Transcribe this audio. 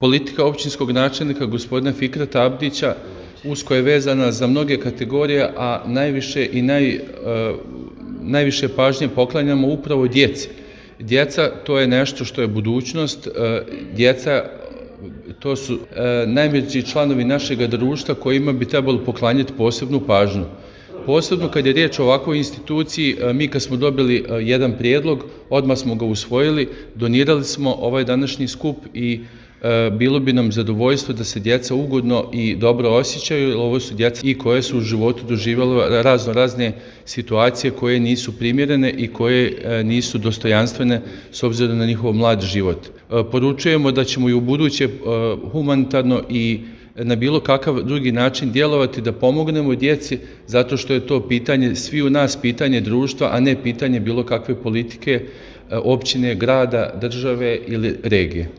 Politika općinskog načelnika gospodina Fikreta Abdića usko je vezana za mnoge kategorije, a najviše pažnje poklanjamo upravo djeci. Djeca, to je nešto što je budućnost. Djeca, to su najmlađi članovi našeg društva kojima bi trebalo poklanjati posebnu pažnju. Posebno kad je riječ o ovakvoj instituciji, mi kad smo dobili jedan prijedlog, odmah smo ga usvojili, donirali smo ovaj današnji skup i bilo bi nam zadovoljstvo da se djeca ugodno i dobro osjećaju, jer ovo su djeca i koje su u životu doživjela razne situacije koje nisu primjerene i koje nisu dostojanstvene s obzirom na njihov mlad život. Poručujemo da ćemo i u buduće humanitarno i na bilo kakav drugi način djelovati da pomognemo djeci, zato što je to pitanje svi u nas, pitanje društva, a ne pitanje bilo kakve politike, općine, grada, države ili regije.